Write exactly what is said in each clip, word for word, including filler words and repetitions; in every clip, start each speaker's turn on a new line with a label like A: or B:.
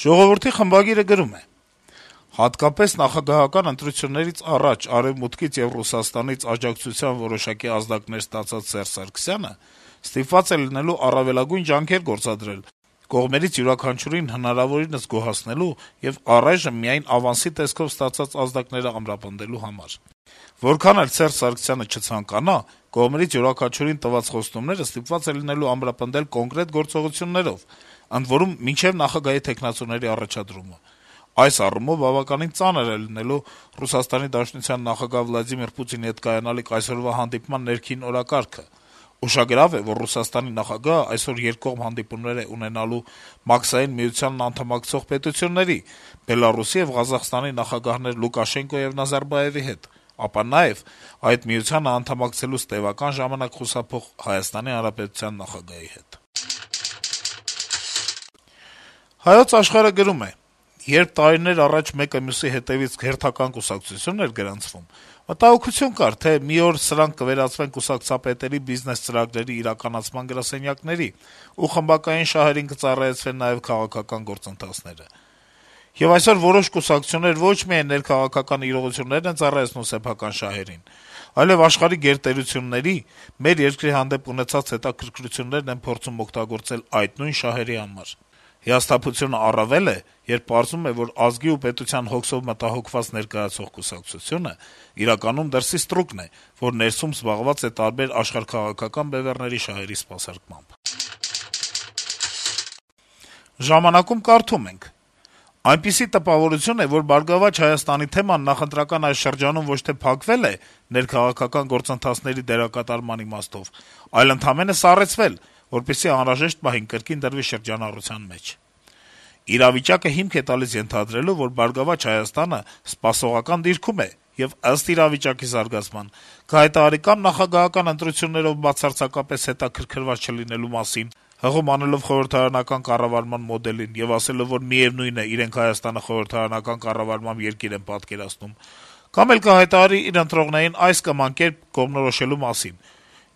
A: Ժողովրդի խմբագիրը գրում է. - «Հատկապես նախագահական ընտրություններից առաջ Արեւմուտքից եւ Ռուսաստանից աջակցության որոշակի ազդակներ ստացած Սերժ Սարգսյանը ստիպված է լինելու առավելագույն ջանքեր գործադրել կողմերից յուրաքանչյուրին հնարավորինս գոհացնելու եւ առայժմ միայն ավանսի տեսքով ստացած ազդակները ամրապնդելու համար: Որքան էլ Սերժ Սարգսյանը չցանկանա, կողմերից յուրաքանչյուրին տված խոստումները ստիպված է լինելու ամրապնդել կոնկրետ գործողություններով, ընդ որում մինչեւ նախագահի թեկնածուների առաջադրումը: Այս առումով բավականին ծանր է լինելու ՌԴ նախագահ Վլադիմիր Պուտինի հետ կայանալիք այսօրվա հանդիպման ներքին օրակարգը: Ուշագրավ է, որ Ռուսաստանի նախագահը այսօր երկկողմ հանդիպումներ է ունենալու Մաքսային միությանն անդամակցող պետությունների` Բելառուսի եւ Ղազախստանի նախագահներ Լուկաշենկո եւ Նազարբաեւի հետ, ապա նաեւ այդ միությանը անդամակցելուց տեւական ժամանակ խուսափող Հայաստանի Հանրապետության նախագահի հետ»: «Հայոց Աշխարհ»-ը գրում է. - «Երբ տարիներ առաջ մեկը մյուսի հետեւից հերթական կուսակցություն էր գրանցվում, մտահոգություն կար, թե մի օր սրանք կվերածվեն կուսակցապետերի բիզնես ծրագրերի իրականացման գրասենյակների, ու խմբակային շահերին կծառայեցվեն նաեւ քաղաքական գործընթացները: Եվ այսօր որոշ կուսակցություններ ոչ միայն ներքաղաքական իրողություններն են ծառայեցնում սեփական շահերին, այլեւ աշխարհի գերտերությունների, մեր երկրի հանդեպ ունեցած հետաքրքրություններն են փորձում օգտագործել այդ նույն շահերի համար: Հիասթափությունն առավել է, երբ պարզվում է, որ ազգի ու պետության հոգսով մտահոգված ներկայացող կուսակցությունը իրականում դրսի ստրուկն է, որ ներսում զբաղված է տարբեր աշխարհաքաղաքական բեւեռների շահերի սպասարկմամբ»: «Ժամանակ»-ում կարդում ենք. - «Այնպիսի տպավորություն է, որ «Բարգավաճ Հայաստանի» թեման նախընտրական այս շրջանում ոչ թե փակվել է ներքաղաքական գործընթացների դերակատարման իմաստով, այլ ընդամենը սառեցվել, որպեսզի անհրաժեշտ պահին կրկին դրվի շրջանառության մեջ: Իրավիճակը հիմք է տալիս ենթադրելու, որ «Բարգավաճ Հայաստանը» սպասողական դիրքում է եւ ըստ իրավիճակի զարգացման կհայտարարի կամ նախագահական ընտրություններով բացարձակապես հետաքրքրված չլինելու մասին, հղում անելով խորհրդարանական կառավարման մոդելին եւ ասելով, որ միեւնույն է, իրենք Հայաստանը խորհրդարանական կառավարմամբ երկիր են պատկերացնում, կամ էլ կհայտարարի իր ընտրողներին այս կամ այն կերպ կողմնորոշելու մասին: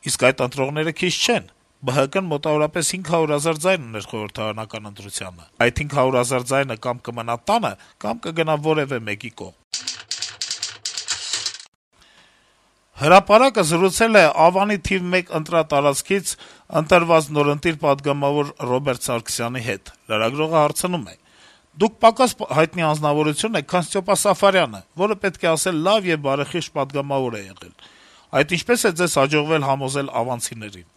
A: Իսկ այդ ընտրողները քիչ չեն: ԲՀԿ-ն մոտավորապես հինգ հարյուր հազար ձայն ուներ խորհրդարանական ընտրությանը: Այդ հինգ հարյուր հազար ձայնը կամ կմնա տանը, կամ կգնա որեւէ մեկի կողմ»: «Հրապարակ»-ը զրուցել է Ավանի թիվ մեկ ընտրատարածքից ընտրված նորընտիր պատգամավոր Ռոբերտ Սարգսյանի հետ: Լրագրողը հարցնում է. - «Դուք պակաս հայտնի անձնավորություն եք, քան Ստյոպա Սաֆարյանը, որը, պետք է ասել, լավ եւ բարեխիղճ պատգամավոր է եղել: Այդ ինչպե՞ս է ձեզ հաջողվել համոզել ավանցիներին»: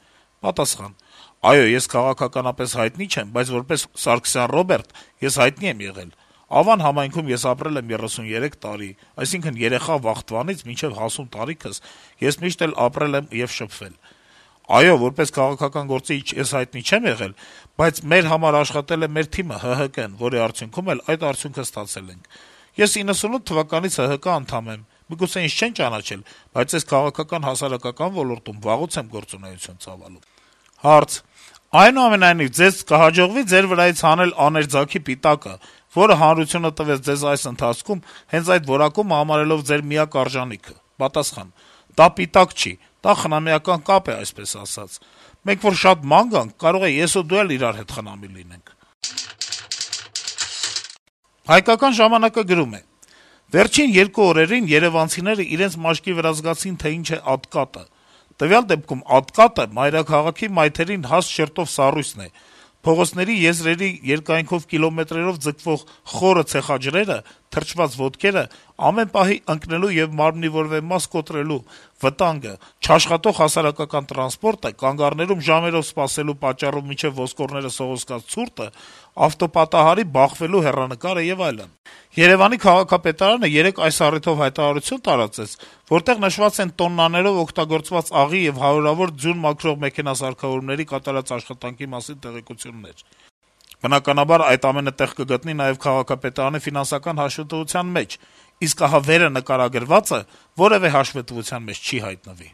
A: Պատասխան. - «Այո, ես քաղաքականապես հայտնի չեմ, բայց որպես Սարգսյան Ռոբերտ ես հայտնի եմ եղել: Ավան համայնքում ես ապրել եմ երեսունյերեք տարի, այսինքն երեխա վախտվանից մինչեւ հասուն տարիքս ես միշտ էլ ապրել եմ եւ շփվել: Այո, որպես քաղաքական գործիչ ես հայտնի չեմ եղել, բայց մեր համար աշխատել է մեր թիմը ՀՀԿ-ն, որի արդյունքում էլ այդ արդյունքը ստացել ենք: Ես իննսունութ թվականից ՀՀԿ անդամ եմ: Միգուցե ինձ չեն ճանաչել, բայց ես քաղաքական հասարակական ոլորտում վաղուց եմ գործունեություն ծավալում»: Հարց. - «Այնուամենայնիվ, ձեզ կհաջողվի՞ ձեր վրայից հանել աներձագի պիտակը, որը հանրությունը տվեց ձեզ այս ընթացքում, հենց այդ որակումը համարելով ձեր միակ արժանիքը»: Պատասխան. - «Դա պիտակ չի, դա խնամիական կապ է, այսպես ասած: Մենք որ շատ ման գանք, կարող է ես ու դու էլ իրար հետ խնամի լինենք»: «Հայկական ժամանակ»-ը գրում է. - «Վերջին երկու օրերին երեւանցիները իրենց մաշկի վրա զգացին, թե ինչ է ատկատը: Տվյալ դեպքում ատկատը մայրաքաղաքի մայթերին հաստ շերտով սառույցն է: Փողոցների եզրերի երկայնքով կիլոմետրերով ձգվող խորը ցեխաջրերը, թրջված ոտքերը, ամեն պահի ընկնելու եւ մարմնի որեւէ մաս կոտրելու վտանգը, չաշխատող հասարակական տրանսպորտը, կանգառներում ժամերով սպասելու պատճառով մինչեւ ոսկորները սողոսկած ցուրտը, ավտոպատահարի բախվելու հեռանկարը եւ այլն: Երեւանի քաղաքապետարանը երեկ այս առիթով հայտարարություն տարածեց, որտեղ նշված են տոննաներով օգտագործված աղի եւ հարյուրավոր ձյուն մաքրող մեքենասարքավորումների կատարած աշխատանքի մասին տեղեկություններ: Բնականաբար, այդ ամենը տեղ կգտնի նաեւ քաղաքապետարանի ֆինանսական հաշվետվության մեջ, իսկ ահա վերը նկարագրվածը որեւէ հաշվետվության մեջ չի հայտնվի»: